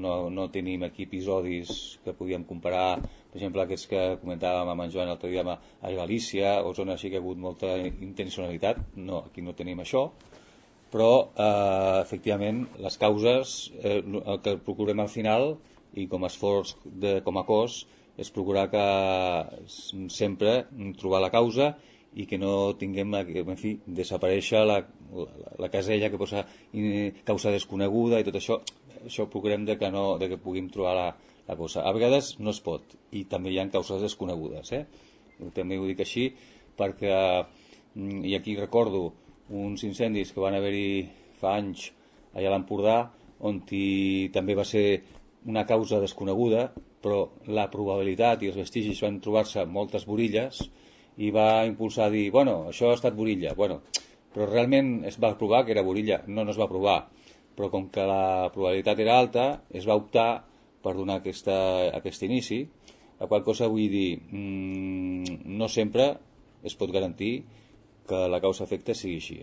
no tenim aquí episodis que podíem comparar, per exemple, aquests que comentàvem amb en Joan l'altre dia a Galícia, o zones així que ha hagut molta intencionalitat. No, aquí no tenim això, però efectivament les causes, el que procurem al final i com a esforç com a cos és procurar que sempre trobar la causa i que no tinguem, en fi, desaparèixer la casella que posa causa desconeguda i tot això. Això procurem de que puguem trobar la cosa. A vegades no es pot, i també hi ha causes desconegudes, també ho dic així perquè, i aquí recordo uns incendis que van haver-hi fa anys allà a l'Empordà, on també va ser una causa desconeguda, però la probabilitat i els vestigis van trobar-se moltes borilles i va impulsar a dir, bueno, això ha estat borilla, bueno, però realment es va provar que era borilla? No es va provar, però com que la probabilitat era alta es va optar per donar aquest inici, la qual cosa vull dir, no sempre es pot garantir que la causa-efecte sigui així,